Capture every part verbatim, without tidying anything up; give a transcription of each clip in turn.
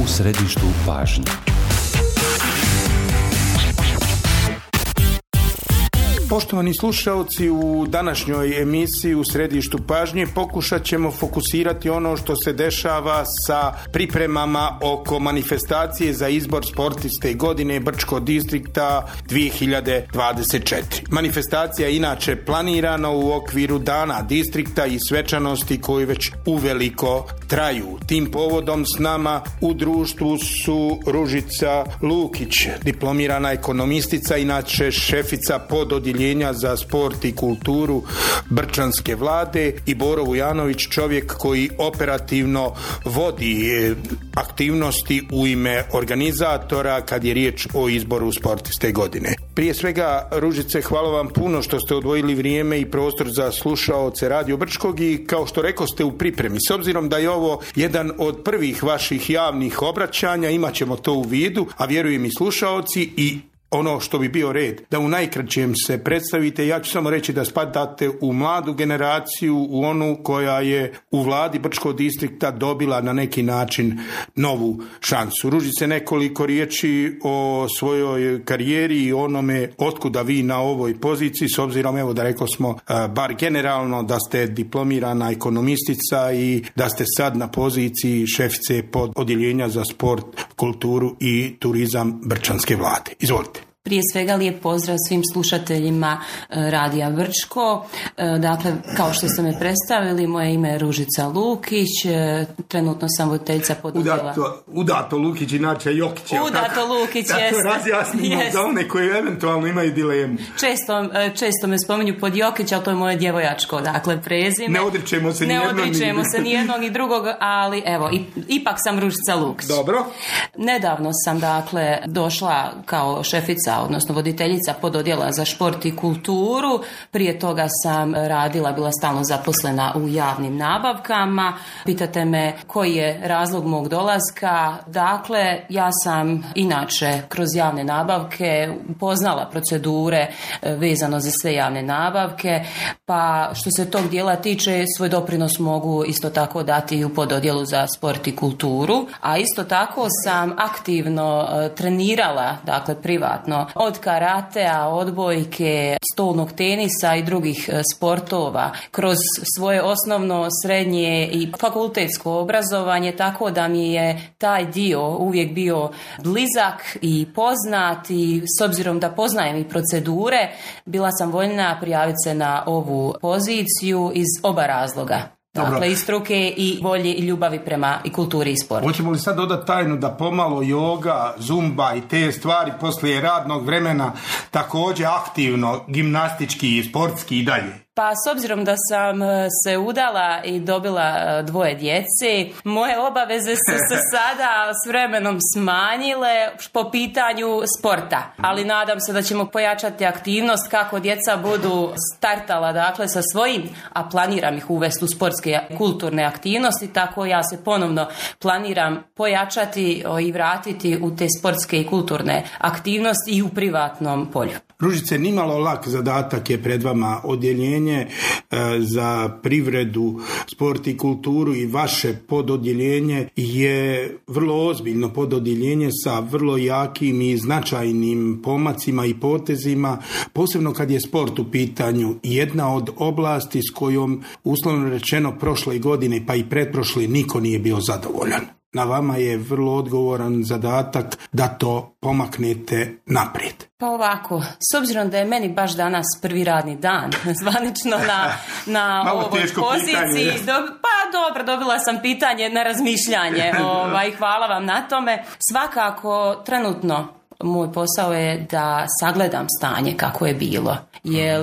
U središtu pažnje. Poštovani slušalci, u današnjoj emisiji U središtu pažnje pokušat ćemo fokusirati ono što se dešava sa pripremama oko manifestacije za izbor sportiste godine Brčkog distrikta dvije hiljade dvadeset četiri. Manifestacija je inače planirana u okviru dana distrikta i svečanosti koji već uveliko traju. Tim povodom s nama u društvu su Ružica Lukić, diplomirana ekonomistica, inače šefica pododjeljenja za sport i kulturu Brčanske vlade, i Boro Vujanović, čovjek koji operativno vodi aktivnosti u ime organizatora kad je riječ o izboru sportiste godine. Prije svega, Ružice, hvala vam puno što ste odvojili vrijeme i prostor za slušaoce Radio Brčkog i kao što rekoste u pripremi. S obzirom da je ovo jedan od prvih vaših javnih obraćanja, imat ćemo to u vidu, a vjerujem i slušaoci, i ono što bi bio red, da u najkraćem se predstavite. Ja ću samo reći da spadate u mladu generaciju, u onu koja je u vladi Brčkog distrikta dobila na neki način novu šansu. Ružice, nekoliko riječi o svojoj karijeri i onome otkuda vi na ovoj poziciji, s obzirom, evo da rekao smo, bar generalno, da ste diplomirana ekonomistica i da ste sad na poziciji šefice pod odjeljenja za sport, kulturu i turizam Brčanske vlade. Izvolite. Prije svega lijep pozdrav svim slušateljima Radija Brčko. Dakle, kao što ste me predstavili, moje ime je Ružica Lukić, trenutno sam voditeljica pododjela. Udato, udato Lukić, inače Jokić je. Udato tako, Lukić, tako jeste. Razjasnimo za one koji eventualno imaju dilemu. Često, često me spominju pod Jokić, ali to je moje djevojačko, dakle, prezime. Ne odričemo se ni jednog. Ne odričemo ni... se ni jednog ni drugog, ali evo, ipak sam Ružica Lukić. Dobro. Nedavno sam, dakle, došla kao šefica, odnosno voditeljica pododjela za šport i kulturu. Prije toga sam radila, bila stalno zaposlena u javnim nabavkama. Pitate me koji je razlog mog dolaska. Dakle, ja sam inače kroz javne nabavke upoznala procedure vezano za sve javne nabavke, pa što se tog dijela tiče, svoj doprinos mogu isto tako dati i u pododjelu za sport i kulturu, a isto tako sam aktivno trenirala, dakle privatno, od karatea, odbojke, stolnog tenisa i drugih sportova kroz svoje osnovno, srednje i fakultetsko obrazovanje, tako da mi je taj dio uvijek bio blizak i poznat, i s obzirom da poznajem i procedure, bila sam voljna prijaviti se na ovu poziciju iz oba razloga. Dobro. Dakle, i struke i volje i ljubavi prema i kulturi i sportu. Hoćemo li sad dodati tajnu da pomalo joga, zumba i te stvari poslije radnog vremena također aktivno, gimnastički i sportski i dalje? Pa s obzirom da sam se udala i dobila dvoje djece, moje obaveze su se sada s vremenom smanjile po pitanju sporta. Ali nadam se da ćemo pojačati aktivnost kako djeca budu startala, dakle, sa svojim, a planiram ih uvesti u sportske kulturne aktivnosti, tako ja se ponovno planiram pojačati i vratiti u te sportske i kulturne aktivnosti i u privatnom polju. Ružice, nimalo lak zadatak je pred vama. Odjeljenje za privredu, sport i kulturu i vaše pododjeljenje je vrlo ozbiljno pododjeljenje sa vrlo jakim i značajnim pomacima i potezima, posebno kad je sport u pitanju. Jedna od oblasti s kojom, uslovno rečeno, prošle godine pa i pretprošle niko nije bio zadovoljan. Na vama je vrlo odgovoran zadatak da to pomaknete naprijed. Pa ovako, s obzirom da je meni baš danas prvi radni dan, zvanično na, na ovoj poziciji, do, pa dobro, dobila sam pitanje na razmišljanje, ovaj, hvala vam na tome. Svakako, trenutno, moj posao je da sagledam stanje kako je bilo. Jer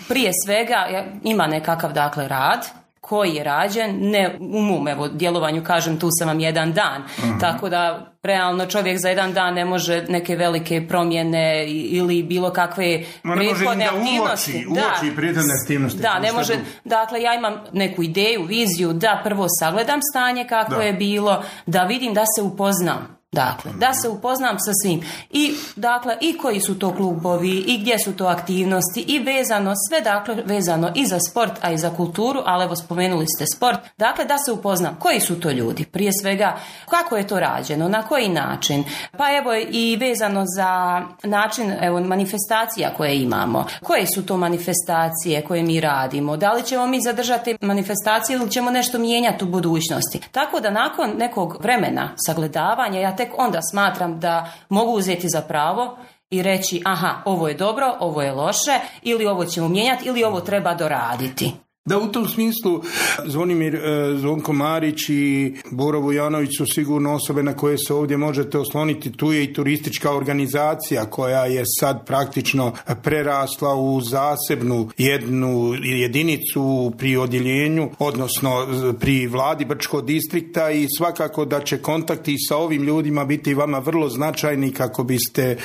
prije svega ima nekakav, dakle, rad koji je rađen, ne u mom evo djelovanju, kažem, tu sam vam jedan dan, uh-huh. tako da realno čovjek za jedan dan ne može neke velike promjene ili bilo kakve prethodne aktivnosti. Uoči, uoči prethodne aktivnosti. Da, ne može, dakle ja imam neku ideju, viziju, da prvo sagledam stanje kako da. je bilo, da vidim, da se upoznam. Dakle, da se upoznam sa svim. I, dakle, i koji su to klubovi, i gdje su to aktivnosti, i vezano, sve, dakle, vezano i za sport, a i za kulturu, ali evo, spomenuli ste sport. Dakle, da se upoznam koji su to ljudi. Prije svega, kako je to rađeno, na koji način. Pa evo, i vezano za način, evo, manifestacija koje imamo. Koje su to manifestacije koje mi radimo? Da li ćemo mi zadržati manifestacije ili ćemo nešto mijenjati u budućnosti? Tako da nakon nekog vremena sagledavanja, ja tek onda smatram da mogu uzeti za pravo i reći aha, ovo je dobro, ovo je loše, ili ovo ćemo mijenjati, ili ovo treba doraditi. Da, u tom smislu Zvonimir Zvonko Marić i Boro Vujanović su sigurno osobe na koje se ovdje možete osloniti. Tu je i turistička organizacija koja je sad praktično prerasla u zasebnu jednu jedinicu pri odjeljenju, odnosno pri vladi Brčkog distrikta, i svakako da će kontakti sa ovim ljudima biti vama vrlo značajni kako biste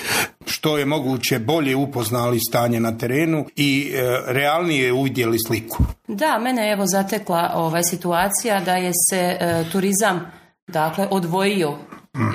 što je moguće bolje upoznali stanje na terenu i e, realnije uvidjeli sliku. Da, mene je evo zatekla ovaj situacija da je se e, turizam, dakle, odvojio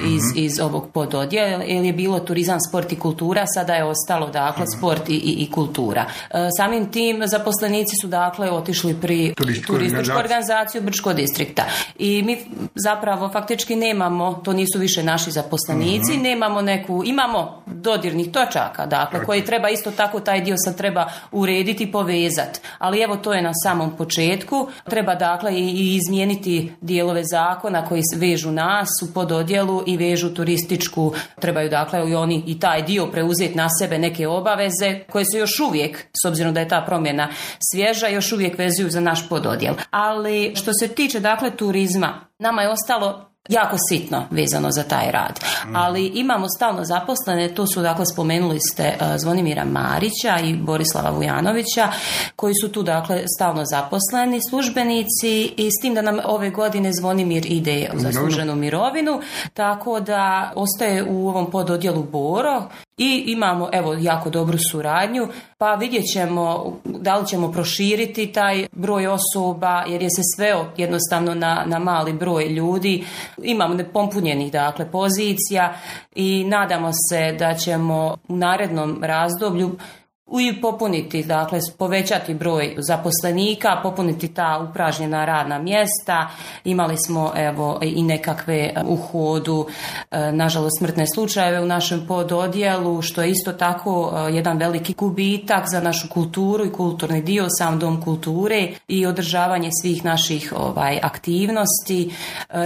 iz, iz ovog pododjela, jer je bilo turizam, sport i kultura, sada je ostalo, dakle, sport i, i, i kultura. E, samim tim zaposlenici su, dakle, otišli pri turističku, turističku organizaciju Brčkog distrikta. I mi zapravo faktički nemamo, to nisu više naši zaposlenici, uh-huh. nemamo neku, imamo dodirnih točaka, dakle, koji treba isto tako, taj dio sad treba urediti i povezati. Ali evo, to je na samom početku. Treba, dakle, i, i izmijeniti dijelove zakona koji vežu nas u pododjelu i vežu turističku, trebaju, dakle, i oni i taj dio preuzeti na sebe neke obaveze koje su još uvijek, s obzirom da je ta promjena svježa, još uvijek vezuju za naš pododjel. Ali što se tiče, dakle, turizma, nama je ostalo jako sitno vezano za taj rad. Ali imamo stalno zaposlene, tu su, dakle, spomenuli ste uh, Zvonimira Marića i Borislava Vujanovića, koji su tu, dakle, stalno zaposleni službenici, i s tim da nam ove godine Zvonimir ide u zasluženu mirovinu, tako da ostaje u ovom pododjelu Boro. I imamo, evo, jako dobru suradnju, pa vidjet ćemo da li ćemo proširiti taj broj osoba, jer je se sveo jednostavno na, na mali broj ljudi. Imamo nepompunjenih, dakle, pozicija i nadamo se da ćemo u narednom razdoblju i popuniti, dakle, povećati broj zaposlenika, popuniti ta upražnjena radna mjesta. Imali smo, evo, i nekakve u hodu, nažalost, smrtne slučajeve u našem pododjelu, što je isto tako jedan veliki gubitak za našu kulturu i kulturni dio, sam dom kulture i održavanje svih naših ovaj aktivnosti,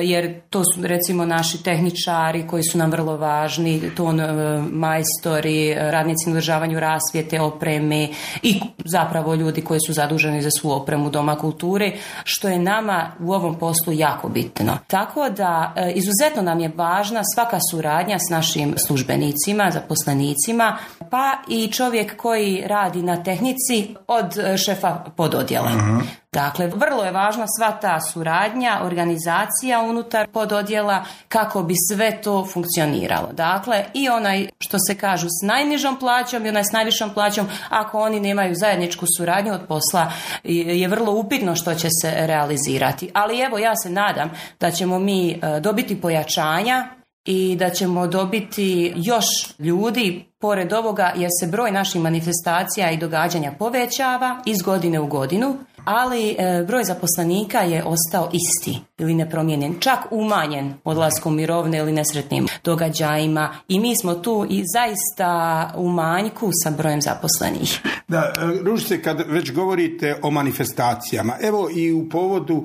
jer to su, recimo, naši tehničari koji su nam vrlo važni, ton majstori, radnici na održavanju rasvjete, opreme i zapravo ljudi koji su zaduženi za svu opremu Doma kulture, što je nama u ovom poslu jako bitno. Tako da e, izuzetno nam je važna svaka suradnja s našim službenicima, zaposlenicima, pa i čovjek koji radi na tehnici od šefa pododjela. Uh-huh. Dakle, vrlo je važna sva ta suradnja, organizacija unutar pododjela kako bi sve to funkcioniralo. Dakle, i onaj, što se kažu, s najnižom plaćom i onaj s najvišom plaćom, ako oni nemaju zajedničku suradnju od posla, je vrlo upitno što će se realizirati. Ali evo, ja se nadam da ćemo mi dobiti pojačanja i da ćemo dobiti još ljudi pored ovoga, jer se broj naših manifestacija i događanja povećava iz godine u godinu, ali e, broj zaposlenika je ostao isti ili nepromijenjen, čak umanjen odlaskom mirovine ili nesretnim događajima, i mi smo tu i zaista u manjku sa brojem zaposlenih. Da, Ružice, kad već govorite o manifestacijama, evo i u povodu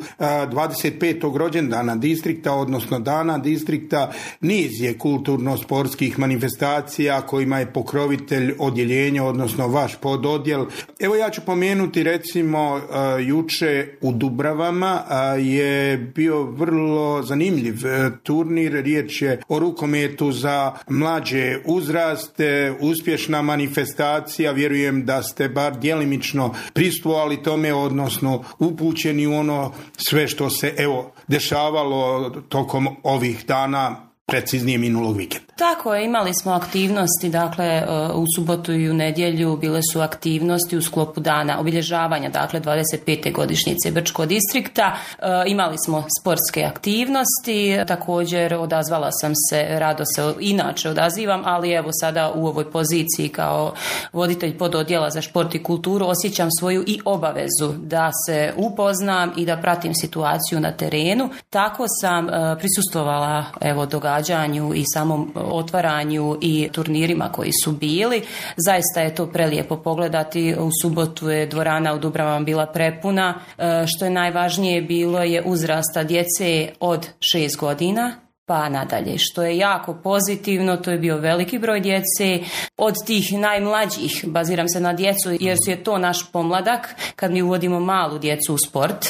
dvadeset petog rođendana distrikta, odnosno dana distrikta, niz je kulturno-sportskih manifestacija kojima je pokrovitelj odjeljenja, odnosno vaš pododjel. Evo, ja ću pomenuti, recimo, juče u Dubravama je bio vrlo zanimljiv turnir, riječ je o rukometu za mlađe uzraste, uspješna manifestacija, vjerujem da ste bar djelimično prisustvovali tome, odnosno upućeni u ono sve što se, evo, dešavalo tokom ovih dana preciznije minulog vikenda. Tako je, imali smo aktivnosti, dakle u subotu i u nedjelju bile su aktivnosti u sklopu dana obilježavanja, dakle dvadeset pete godišnjice Brčkog distrikta. E, imali smo sportske aktivnosti, također odazvala sam se, rado se inače odazivam, ali evo sada u ovoj poziciji kao voditelj pododjela za šport i kulturu osjećam svoju i obavezu da se upoznam i da pratim situaciju na terenu. Tako sam e, prisustvovala evo događanju i samom otvaranju i turnirima koji su bili. Zaista je to prelijepo pogledati. U subotu je dvorana u Dubravama bila prepuna. E, što je najvažnije bilo je uzrasta djece od šest godina pa nadalje, što je jako pozitivno. To je bio veliki broj djece. Od tih najmlađih, baziram se na djecu jer je to naš pomladak kad mi uvodimo malu djecu u sport.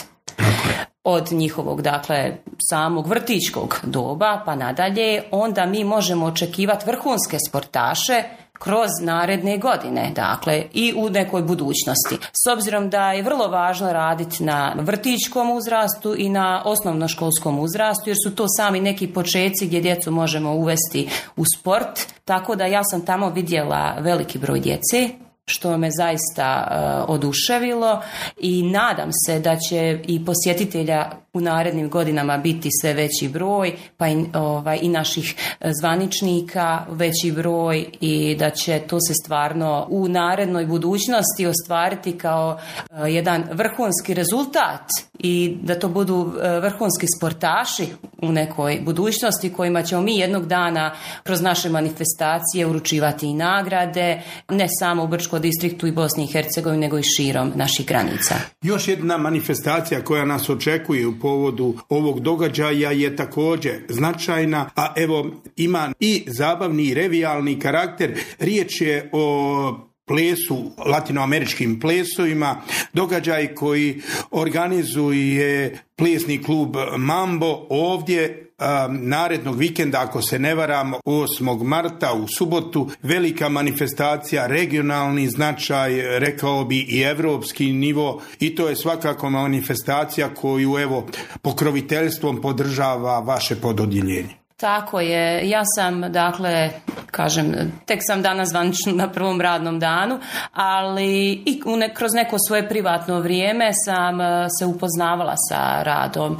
Od njihovog, dakle, samog vrtićkog doba pa nadalje, onda mi možemo očekivati vrhunske sportaše kroz naredne godine, dakle, i u nekoj budućnosti. S obzirom da je vrlo važno raditi na vrtićkom uzrastu i na osnovnoškolskom uzrastu, jer su to sami neki počeci gdje djecu možemo uvesti u sport, tako da ja sam tamo vidjela veliki broj djece, što me zaista uh, oduševilo i nadam se da će i posjetitelja u narednim godinama biti sve veći broj, pa i, ovaj, i naših zvaničnika veći broj i da će to se stvarno u narednoj budućnosti ostvariti kao uh, jedan vrhunski rezultat i da to budu uh, vrhunski sportaši u nekoj budućnosti kojima ćemo mi jednog dana kroz naše manifestacije uručivati i nagrade, ne samo u Brčkom distriktu i Bosni i Hercegovini, nego i širom naših granica. Još jedna manifestacija koja nas očekuje u povodu ovog događaja je također značajna, a evo ima i zabavni i revijalni karakter. Riječ je o plesu, latinoameričkim plesovima, događaj koji organizuje plesni klub Mambo ovdje um, narednog vikenda, ako se ne varam, osmog marta u subotu, velika manifestacija, regionalni značaj, rekao bi i evropski nivo, i to je svakako manifestacija koju evo pokroviteljstvom podržava vaše pododjeljenje. Tako je, ja sam, dakle, kažem, tek sam danas zvanično na prvom radnom danu, ali i ne, kroz neko svoje privatno vrijeme sam se upoznavala sa radom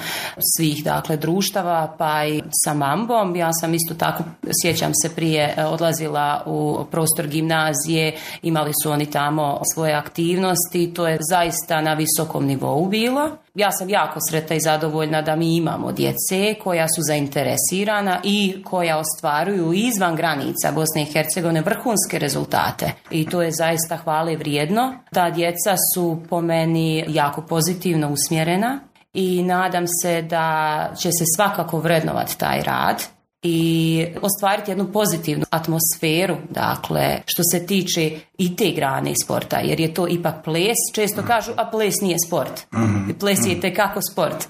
svih, dakle, društava, pa i sa Mambom. Ja sam isto tako, sjećam se, prije odlazila u prostor gimnazije, imali su oni tamo svoje aktivnosti, to je zaista na visokom nivou bilo. Ja sam jako sretna i zadovoljna da mi imamo djece koja su zainteresirana i koja ostvaruju izvan granica Bosne i Hercegovine vrhunske rezultate. I to je zaista hvale vrijedno. Ta djeca su po meni jako pozitivno usmjerena i nadam se da će se svakako vrednovati taj rad i ostvariti jednu pozitivnu atmosferu, dakle, što se tiče i te grane sporta, jer je to ipak ples. Često kažu, a ples nije sport. Ples je itekako sport.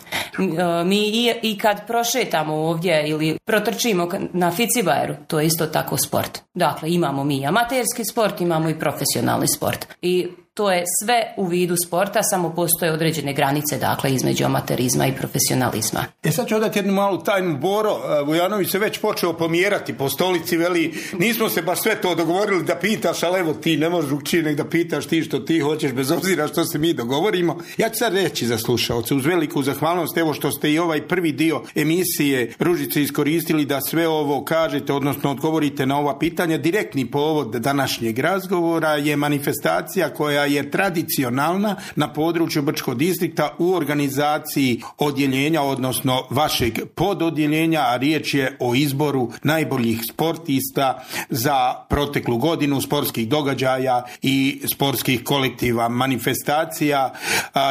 Mi i, i kad prošetamo ovdje ili protrčimo na Ficibajeru, to je isto tako sport. Dakle, imamo mi amaterski sport, imamo i profesionalni sport. I to je sve u vidu sporta, samo postoje određene granice, dakle, između amaterizma i profesionalizma. E sad ću odati jednu malu tajnu. Boro Vujanović se već počeo pomjerati po stolici, veli, nismo se baš sve to dogovorili da pitaš, ali evo ti ne možeš drugčije nego da pitaš ti što ti hoćeš, bez obzira što se mi dogovorimo. Ja ću sad reći za slušalce, uz veliku zahvalnost, evo što ste i ovaj prvi dio emisije Ružice iskoristili da sve ovo kažete, odnosno odgovorite na ova pitanja. Direktni povod današnjeg razgovora je manifestacija koja je tradicionalna na području Brčkog distrikta u organizaciji odjeljenja, odnosno vašeg pododjeljenja, a riječ je o izboru najboljih sportista za proteklu godinu, sportskih događaja i sportskih kolektiva. Manifestacija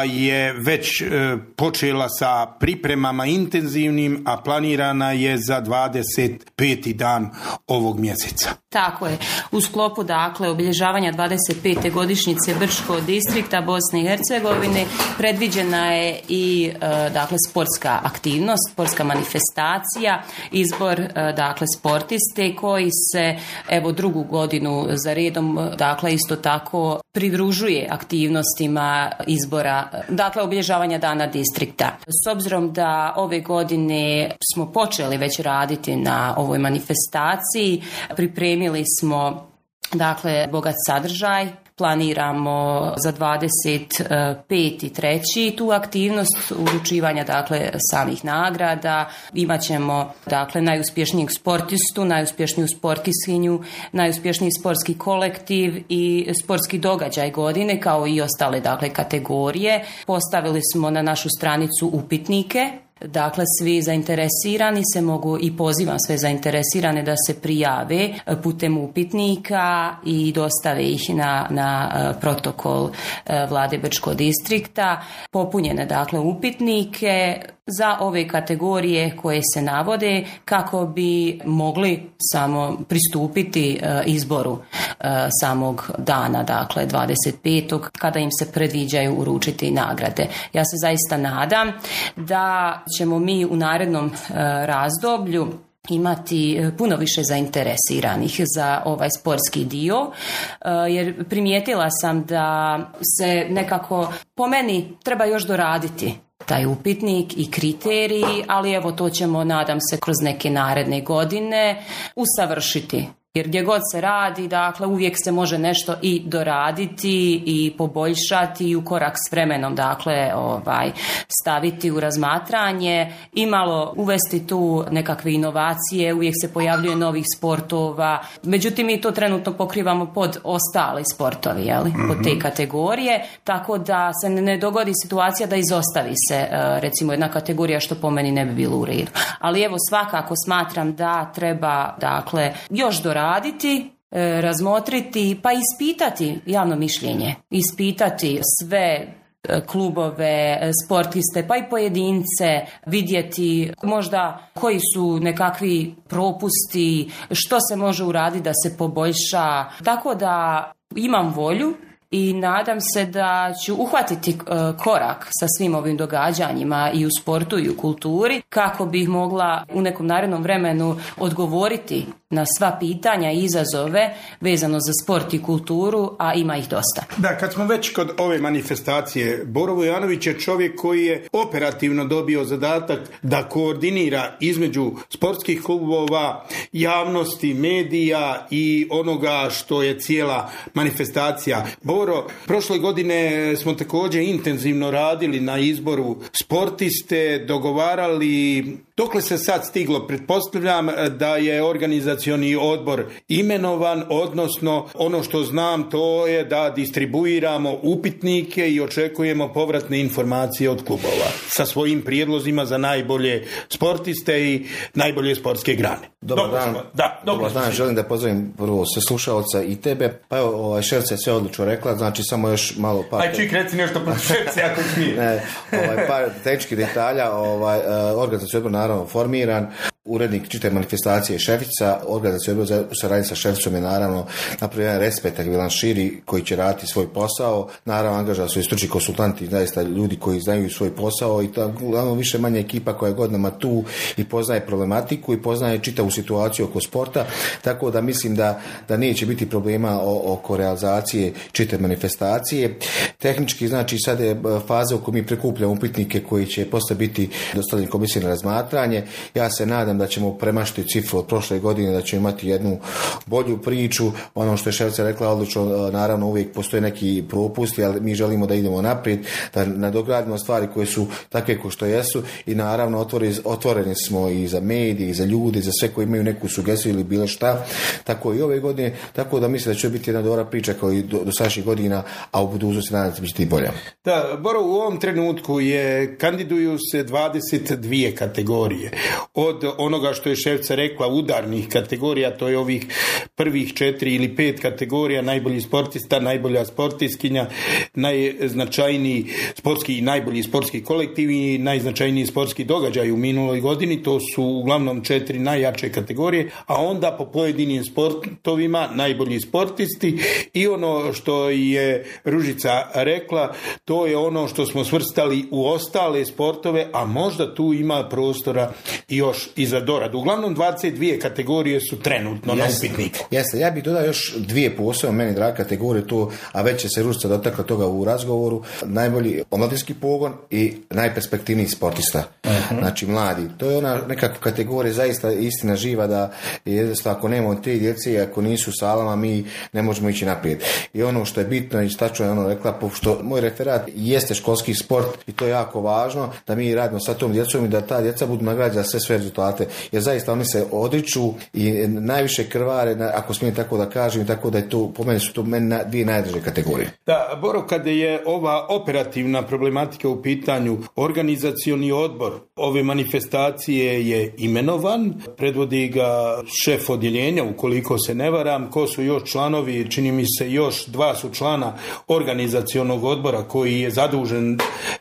je već počela sa pripremama intenzivnim, a planirana je za dvadeset peti dan ovog mjeseca. Tako je. U sklopu, dakle, obilježavanja dvadeset pete godišnjice Brčkog distrikta Bosne i Hercegovine predviđena je i dakle sportska aktivnost, sportska manifestacija, izbor dakle sportiste koji se evo drugu godinu za redom dakle isto tako pridružuje aktivnostima izbora, dakle obilježavanja dana distrikta. S obzirom da ove godine smo počeli već raditi na ovoj manifestaciji, pripremili smo dakle bogat sadržaj, planiramo za dvadeset peti treći tu aktivnost uručivanja dakle samih nagrada. Imaćemo dakle najuspješnijeg sportistu, najuspješniju sportiskinju, najuspješniji sportski kolektiv i sportski događaj godine kao i ostale dakle kategorije. Postavili smo na našu stranicu upitnike. Dakle, svi zainteresirani se mogu i pozivam sve zainteresirane da se prijave putem upitnika i dostave ih na, na protokol Vlade Brčkog distrikta. Popunjene dakle upitnike za ove kategorije koje se navode kako bi mogli samo pristupiti izboru samog dana, dakle dvadeset petog kada im se predviđaju uručiti nagrade. Ja se zaista nadam da ćemo mi u narednom razdoblju imati puno više zainteresiranih za ovaj sportski dio, jer primijetila sam da se nekako po meni treba još doraditi taj upitnik i kriteriji, ali evo to ćemo, nadam se, kroz neke naredne godine usavršiti. Jer gdje god se radi, dakle, uvijek se može nešto i doraditi i poboljšati i u korak s vremenom, dakle, ovaj, staviti u razmatranje i malo uvesti tu nekakve inovacije, uvijek se pojavljuje novih sportova, međutim mi to trenutno pokrivamo pod ostali sportovi, jeli, mm-hmm. pod te kategorije, tako da se ne dogodi situacija da izostavi se, recimo, jedna kategorija što po meni ne bi bilo u redu. Ali evo, svakako smatram da treba, dakle, još doraditi raditi, razmotriti pa ispitati javno mišljenje, ispitati sve klubove, sportiste pa i pojedince, vidjeti možda koji su nekakvi propusti, što se može uraditi da se poboljša, tako da imam volju i nadam se da ću uhvatiti korak sa svim ovim događanjima i u sportu i u kulturi kako bih mogla u nekom narednom vremenu odgovoriti na sva pitanja i izazove vezano za sport i kulturu, a ima ih dosta. Da, kad smo već kod ove manifestacije, Boro Vujanović je čovjek koji je operativno dobio zadatak da koordinira između sportskih klubova, javnosti, medija i onoga što je cijela manifestacija. Boro, prošle godine smo također intenzivno radili na izboru sportiste, dogovarali. Dokle se sad stiglo? Pretpostavljam da je organizacioni odbor imenovan, odnosno ono što znam to je da distribuiramo upitnike i očekujemo povratne informacije od klubova sa svojim prijedlozima za najbolje sportiste i najbolje sportske grane. Dobar Dobro dan. Da, Dobar dan. Želim da pozdravim prvo sve slušalca i tebe. Pa evo, ovaj, Šerca je sve odlično rekla, znači samo još malo par... Aj, čik, reci nešto protiv Šerce, ako smije. Ne, ovaj, par tehničkih detalja, ovaj, organizacioni odbor naravno formiran, urednik čitave manifestacije Šefica, organizacioni odbor u saradnji sa Šeficom je naravno napravio jedan respektabilan širi koji će raditi svoj posao, naravno angaža su i stručni konsultanti, zaista ljudi koji znaju svoj posao i to uglavnom više manje ekipa koja je godinama tu i poznaje problematiku i poznaje čitavu situaciju oko sporta, tako da mislim da, da neće biti problema o, oko realizacije čitave manifestacije. Tehnički, znači sad je faza u kojoj mi prikupljamo upitnike koji će posle biti dostavljeni komisiji na razmatranje. Ja se nadam da ćemo premašiti cifru od prošle godine, da ćemo imati jednu bolju priču. Ono što je Šefica rekla odlično, naravno uvijek postoje neki propusti, ali mi želimo da idemo naprijed, da nadogradimo stvari koje su takve kao što jesu i naravno otvori, otvoreni smo i za medije, i za ljude, za sve koji imaju neku sugestiju ili bilo šta, tako i ove godine, tako da mislim da će biti jedna dobra priča kao i do, do sadašnjih godina, a u budućnosti nadam nagrada biti bolja. Da, Boro, u ovom trenutku je, kandiduju se dvadeset dvije kategorije. Od onoga što je šefica rekla, udarnih kategorija, to je ovih prvih četiri ili pet kategorija, najbolji sportista, najbolja sportistkinja, najznačajniji sportski i najbolji sportski kolektiv i najznačajniji sportski događaj u minuloj godini, to su uglavnom četiri najjače kategorije, a onda po pojedinim sportovima najbolji sportisti i ono što je Ružica rekla, to je ono što smo svrstali u ostale sportove, a možda tu ima prostora i još i za doradu. Uglavnom dvadeset dvije kategorije su trenutno na upitniku. Jeste, ja bih dodao još dvije posebno meni draga kategorije tu, a već će se Ružica dotakla toga u razgovoru, najbolji omladinski pogon i najperspektivniji sportista. Uh-huh. Znači mladi. To je ona nekakva kategorija zaista istina živa da jednostavno ako nemamo te djece i ako nisu u salama mi ne možemo ići naprijed. I ono što je bitno i stačno je ono rekla, pošto moj referat jeste školski sport i to je jako važno da mi radimo sa tom djecom i da ta djeca budu nagrađena sve sve rezultate. Jer zaista oni se odriču i najviše krvare, ako smijem tako da kažem, tako da je to, po meni su to meni dvije najdraže kategorije. Da, Boro, kada je ova operativna problematika u pitanju, organizacioni odbor ove manifestacije je imenovan, predvodi ga šef odjeljenja, ukoliko se ne varam, ko su još članovi, čini mi se još dva su člana organizacionog odbora koji je zadužen,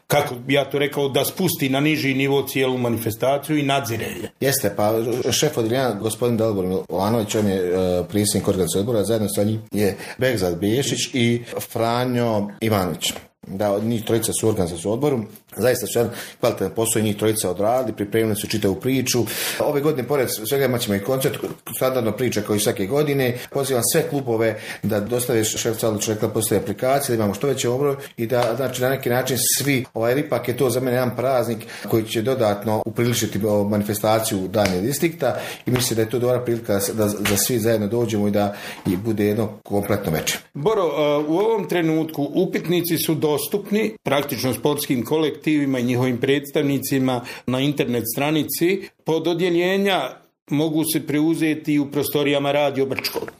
kako bi ja to rekao, da spusti na niži nivo cijelu manifestaciju i nadzire je. Jeste, pa šef odjeljenja gospodin Dalibor Milanović, on je uh, predsjednik organizacionog odbora, zajedno sa njim je Begzad Bešić i Franjo Ivanović. Da, njih trojica su u organizacijskom odboru. Zaista su jedan kvalitetan posao i njih trojica odradili, pripremili su čitavu priču. Ove godine, pored svega, imat ćemo i koncert, standardno priča kao i svake godine. Pozivam sve klubove da dostave šef Calić rekla postoje aplikacije, da imamo što veće obroj i da, znači, na neki način svi, ovaj ipak je to za mene jedan praznik koji će dodatno upriličiti manifestaciju dane distrikta i mislim da je to dobra prilika da, da svi zajedno dođemo i da i bude jedno kompletno večer. Boro, u ovom trenutku upitnici su dostupni praktično sportskim kolektivima i njihovim predstavnicima na internet stranici. Pod odjeljenja mogu se preuzeti u prostorijama Radio Brčkog.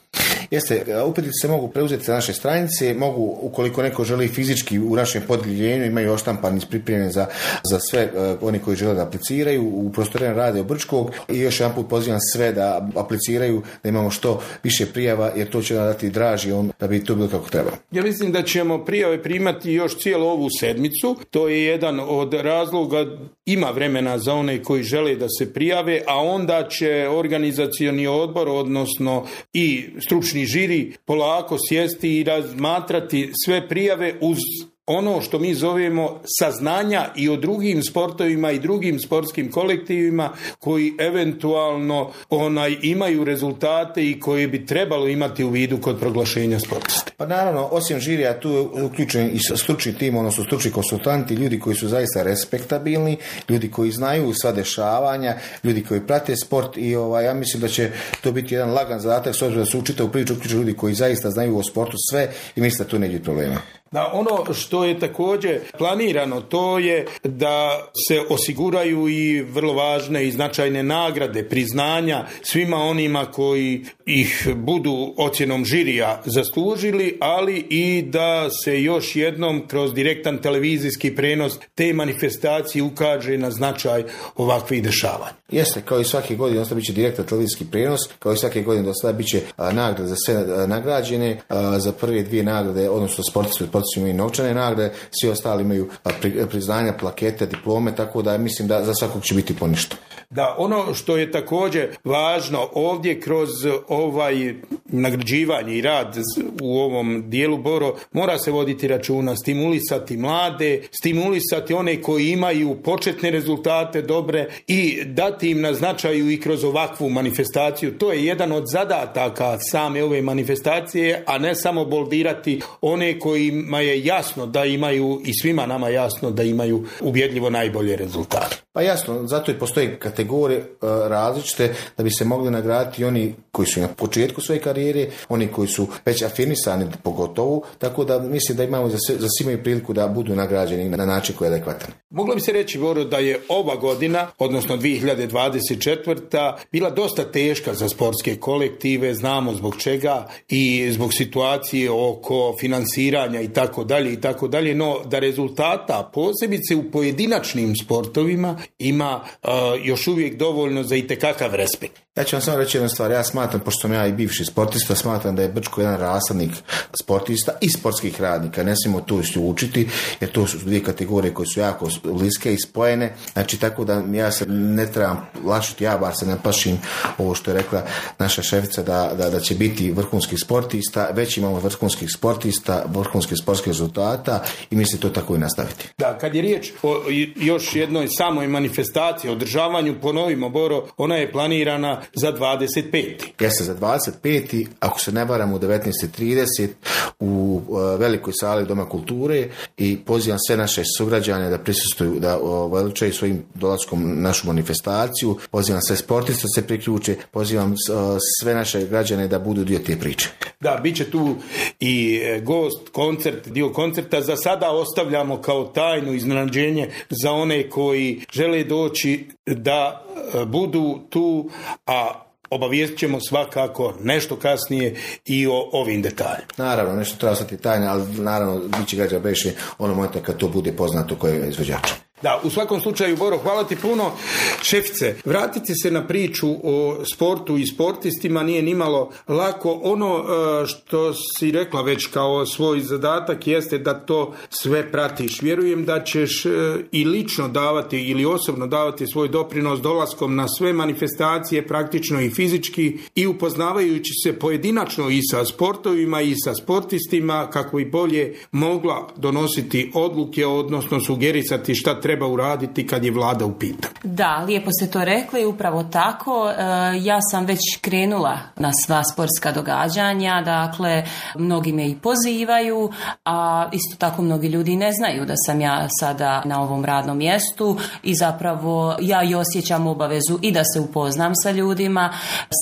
Jeste, upitnici se mogu preuzeti na naše stranice, mogu, ukoliko neko želi fizički u našem podjeljenju, imaju oštampani pripremljeni za, za sve uh, oni koji žele da apliciraju u prostorijama Radio Brčkog i još jedan put pozivam sve da apliciraju, da imamo što više prijava, jer to će nam dati draži on da bi to bilo kako treba. Ja mislim da ćemo prijave primati još cijelu ovu sedmicu, to je jedan od razloga, ima vremena za one koji žele da se prijave, a onda će organizacioni odbor, odnosno i stručni žiri polako sjesti i razmatrati sve prijave uz ono što mi zovemo saznanja i o drugim sportovima i drugim sportskim kolektivima koji eventualno onaj imaju rezultate i koje bi trebalo imati u vidu kod proglašenja sportiste. Pa naravno, osim žirija, tu je uključen i stručni tim, odnosno stručni konsultanti, ljudi koji su zaista respektabilni, ljudi koji znaju sva dešavanja, ljudi koji prate sport i ovaj, ja mislim da će to biti jedan lagan zadatak, s obzirom da su u čitavu priču uključeni ljudi koji zaista znaju o sportu sve i mislim da tu neće biti problema. Da, ono što je također planirano, to je da se osiguraju i vrlo važne i značajne nagrade, priznanja svima onima koji ih budu ocjenom žirija zaslužili, ali i da se još jednom kroz direktan televizijski prenos te manifestacije ukaže na značaj ovakvih dešavanja. Jeste, kao i svake godine dosta bit će direktan televizijski prenos, kao i svake godine dosta bit će nagrade za sve a, nagrađene, a, za prve dvije nagrade, odnosno sportisti, sportisti imaju novčane nagrade, svi ostali imaju a, pri, priznanja, plakete, diplome, tako da mislim da za svakog će biti poništo. Da, ono što je također važno ovdje kroz ovaj nagrađivanje i rad u ovom dijelu, Boro, mora se voditi računa, stimulisati mlade, stimulisati one koji imaju početne rezultate dobre i dati im na značaju i kroz ovakvu manifestaciju. To je jedan od zadataka same ove manifestacije, a ne samo boldirati one kojima je jasno da imaju i svima nama jasno da imaju ubjedljivo najbolje rezultate. Pa jasno, zato i postoje kategorije uh, različite da bi se mogli nagraditi oni koji su na početku svoje karijere, oni koji su već afirmisani pogotovo, tako da mislim da imamo za, za svi imaju priliku da budu nagrađeni na način koji je adekvatan. Moglo bi se reći, Boro, da je ova godina, odnosno dvije hiljade dvadeset četvrta bila dosta teška za sportske kolektive, znamo zbog čega i zbog situacije oko finansiranja i tako dalje i tako dalje, no da rezultata posebice u pojedinačnim sportovima ima uh, još uvijek dovoljno za itekakav respekt. Ja ću vam samo reći jednu stvar, ja smatram, pošto sam ja i bivši sportista, smatram da je Brčko jedan rasadnik sportista i sportskih radnika, ne smijemo to učiti, jer to su dvije kategorije koje su jako bliske i spojene, znači tako da ja se ne trebam lašiti, ja bar se ne plašim ovo što je rekla naša šefica da, da, da će biti vrhunskih sportista, već imamo vrhunskih sportista, vrhunskih sportskih rezultata i mislim to tako i nastaviti. Da, kad je riječ o još jednoj samoj manifestaciji, održavanju, ponovimo, Boro, ona je planirana za dvadeset peti Jeste, za dvadeset peti ako se ne varam u devetnaest i trideset u uh, velikoj sali Doma kulture i pozivam sve naše sugrađane da prisustvuju, da uh, veličaju svojim dolaskom našu manifestaciju, pozivam sve sportiste da se priključe, pozivam uh, sve naše građane da budu dio te priče. Da, bit će tu i gost, koncert, dio koncerta. Za sada ostavljamo kao tajnu iznenađenje za one koji žele doći da budu tu, a obavijestit ćemo svakako nešto kasnije i o ovim detaljima. Naravno, nešto treba ostati tajna, ali naravno bit će građa beše ono momenta kad to bude poznato koji je izvođač. Da, u svakom slučaju, Boro, hvala ti puno. Šefice, vratiti se na priču o sportu i sportistima nije nimalo lako. Ono što si rekla već kao svoj zadatak jeste da to sve pratiš. Vjerujem da ćeš i lično davati ili osobno davati svoj doprinos dolaskom na sve manifestacije, praktično i fizički, i upoznavajući se pojedinačno i sa sportovima i sa sportistima kako bi bolje mogla donositi odluke, odnosno sugerisati šta treba treba uraditi kad je vlada u pitanju. Da, lijepo ste to rekli, upravo tako. Ja sam već krenula na sva sportska događanja, dakle, mnogi me i pozivaju, a isto tako mnogi ljudi ne znaju da sam ja sada na ovom radnom mjestu i zapravo ja i osjećam obavezu i da se upoznam sa ljudima,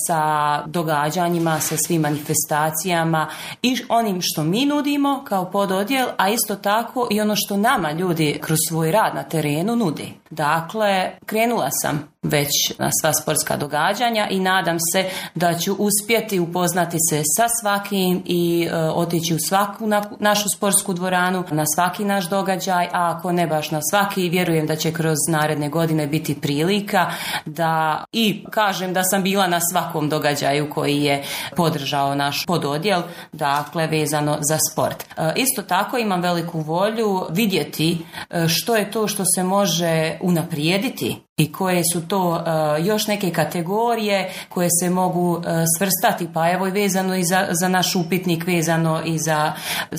sa događanjima, sa svim manifestacijama i onim što mi nudimo kao pododjel, a isto tako i ono što nama ljudi kroz svoj rad na terenu nudi. Dakle, krenula sam već na sva sportska događanja i nadam se da ću uspjeti upoznati se sa svakim i e, otići u svaku na, našu sportsku dvoranu, na svaki naš događaj, a ako ne baš na svaki, vjerujem da će kroz naredne godine biti prilika da i kažem da sam bila na svakom događaju koji je podržao naš pododjel, dakle vezano za sport. E, isto tako imam veliku volju vidjeti e, što je to što se može unaprijediti i koje su to uh, još neke kategorije koje se mogu uh, svrstati, pa evo i vezano i za, za naš upitnik, vezano i za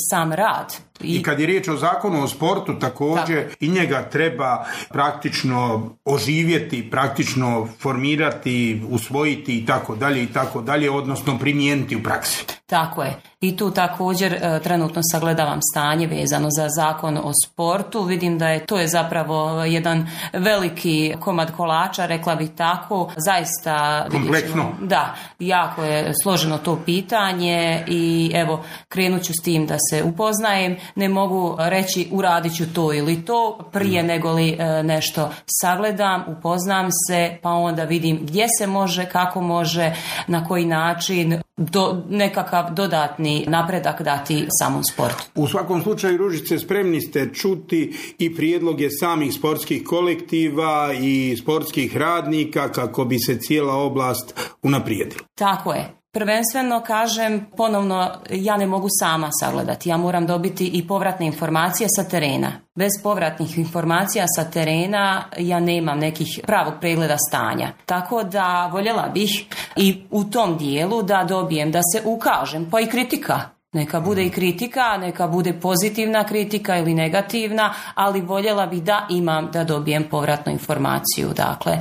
sam rad. I, I kad je riječ o zakonu o sportu također tako. I njega treba praktično oživjeti, praktično formirati, usvojiti i tako dalje i tako dalje, odnosno primijeniti u praksi. Tako je. I tu također e, trenutno sagledavam stanje vezano za zakon o sportu. Vidim da je to je zapravo jedan veliki komad kolača, rekla bih tako. Zaista kompleksno. Da, jako je složeno to pitanje i evo krenut ću s tim da se upoznajem. Ne mogu reći uradit ću to ili to prije mm. nego li e, nešto sagledam, upoznam se, pa onda vidim gdje se može, kako može, na koji način do, nekakav dodatni napredak dati samom sportu. U svakom slučaju, Ružice, spremni ste čuti i prijedloge samih sportskih kolektiva i sportskih radnika kako bi se cijela oblast unaprijedila. Tako je. Prvenstveno kažem, ponovno, ja ne mogu sama sagledati. Ja moram dobiti i povratne informacije sa terena. Bez povratnih informacija sa terena ja nemam nekih pravog pregleda stanja. Tako da voljela bih i u tom dijelu da dobijem, da se ukažem, pa i kritika. Neka bude i kritika, neka bude pozitivna kritika ili negativna, ali voljela bih da imam, da dobijem povratnu informaciju. Dakle,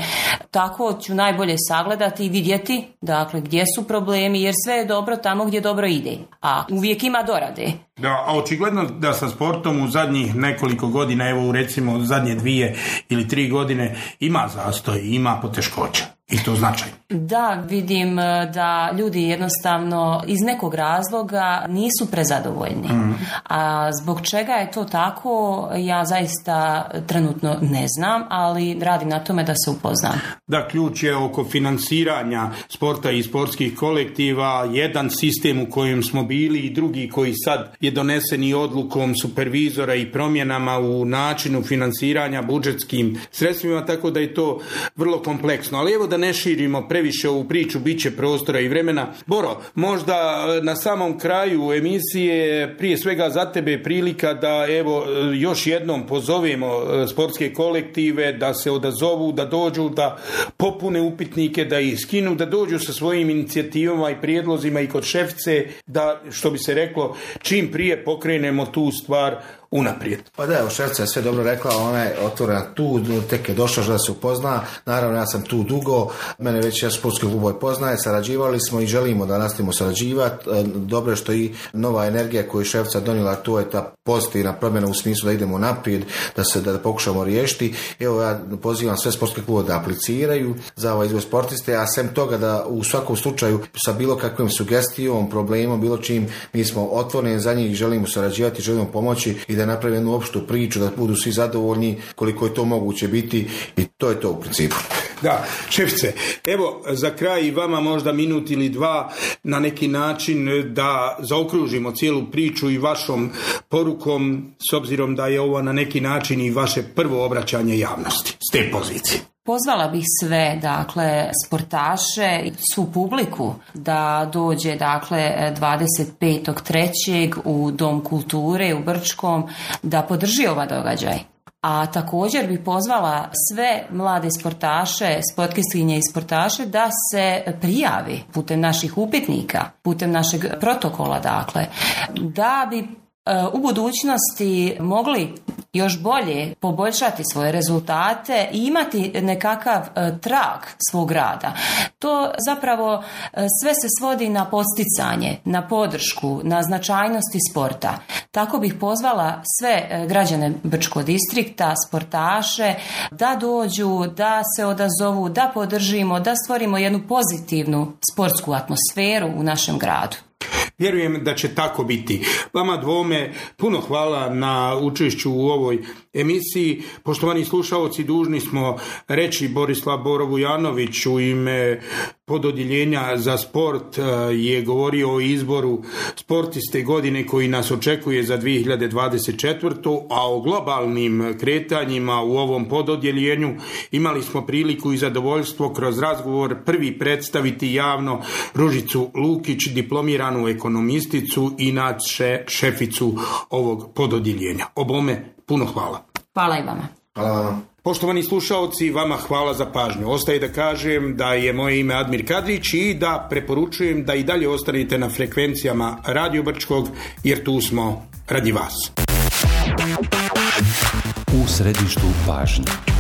tako ću najbolje sagledati i vidjeti, dakle, gdje su problemi, jer sve je dobro tamo gdje dobro ide. A uvijek ima dorade. Da, a očigledno da sa sportom u zadnjih nekoliko godina, evo recimo zadnje dvije ili tri godine, ima zastoj, ima poteškoća. I to značajno. Da, vidim da ljudi jednostavno iz nekog razloga nisu prezadovoljni. Mm. A zbog čega je to tako, ja zaista trenutno ne znam, ali radim na tome da se upoznam. Da, ključ je oko finansiranja sporta i sportskih kolektiva, jedan sistem u kojem smo bili i drugi koji sad je donesen i odlukom supervizora i promjenama u načinu finansiranja budžetskim sredstvima, tako da je to vrlo kompleksno. Ali evo da ne širimo previše ovu priču, bit će prostora i vremena. Boro, možda na samom kraju emisije prije svega za tebe prilika da evo još jednom pozovemo sportske kolektive da se odazovu, da dođu, da popune upitnike, da ih skinu, da dođu sa svojim inicijativama i prijedlozima i kod šefice, da, što bi se reklo, čim prije pokrenemo tu stvar unaprijed. Pa da, evo, šefica je sve dobro rekla, ona je otvorena tu, tek je došla da se upozna, naravno ja sam tu dugo, mene već ja sportski klubove poznaje, sarađivali smo i želimo da nastavimo sarađivati, dobro je što i nova energija koju je šefica donijela, to je ta pozitivna promjena u smislu da idemo naprijed, da se da, da pokušamo riješiti. Evo ja pozivam sve sportske klubove da apliciraju za ovaj izbor sportiste, a sem toga da u svakom slučaju sa bilo kakvim sugestijom, problemom, bilo čim, mi smo otvoreni za njih, želimo sarađivati, želimo pomoći i da napravi jednu opštu priču, da budu svi zadovoljni koliko je to moguće biti i to je to u principu. Da, šefice, evo za kraj i vama možda minut ili dva na neki način da zaokružimo cijelu priču i vašom porukom, s obzirom da je ovo na neki način i vaše prvo obraćanje javnosti s te pozicije. Pozvala bih sve, dakle, sportaše i svu publiku da dođe, dakle, dvadeset petog trećeg u Dom kulture u Brčkom da podrži ovaj događaj. A također bih pozvala sve mlade sportaše, sportistkinje i sportaše da se prijavi putem naših upitnika, putem našeg protokola, dakle, da bi u budućnosti mogli još bolje poboljšati svoje rezultate i imati nekakav trag svog rada. To zapravo sve se svodi na podsticanje, na podršku, na značajnosti sporta. Tako bih pozvala sve građane Brčkog distrikta, sportaše, da dođu, da se odazovu, da podržimo, da stvorimo jednu pozitivnu sportsku atmosferu u našem gradu. Vjerujem da će tako biti. Vama dvome puno hvala na učešću u ovoj emisiji. Poštovani slušaoci, dužni smo reći Borislav Boro-Vujanović u ime pododjeljenja za sport je govorio o izboru sportiste godine koji nas očekuje za dvije hiljade dvadeset četvrtu. a o globalnim kretanjima u ovom pododjeljenju imali smo priliku i zadovoljstvo kroz razgovor prvi predstaviti javno Ružicu Lukić, diplomiranu ekonomisticu, inače šeficu ovog pododjeljenja. Obome puno hvala. Hvala i vama. Hvala vam. Poštovani slušaoci, vama hvala za pažnju. Ostaje da kažem da je moje ime Admir Kadrić i da preporučujem da i dalje ostanete na frekvencijama Radio Brčkog, jer tu smo radi vas. U središtu pažnje.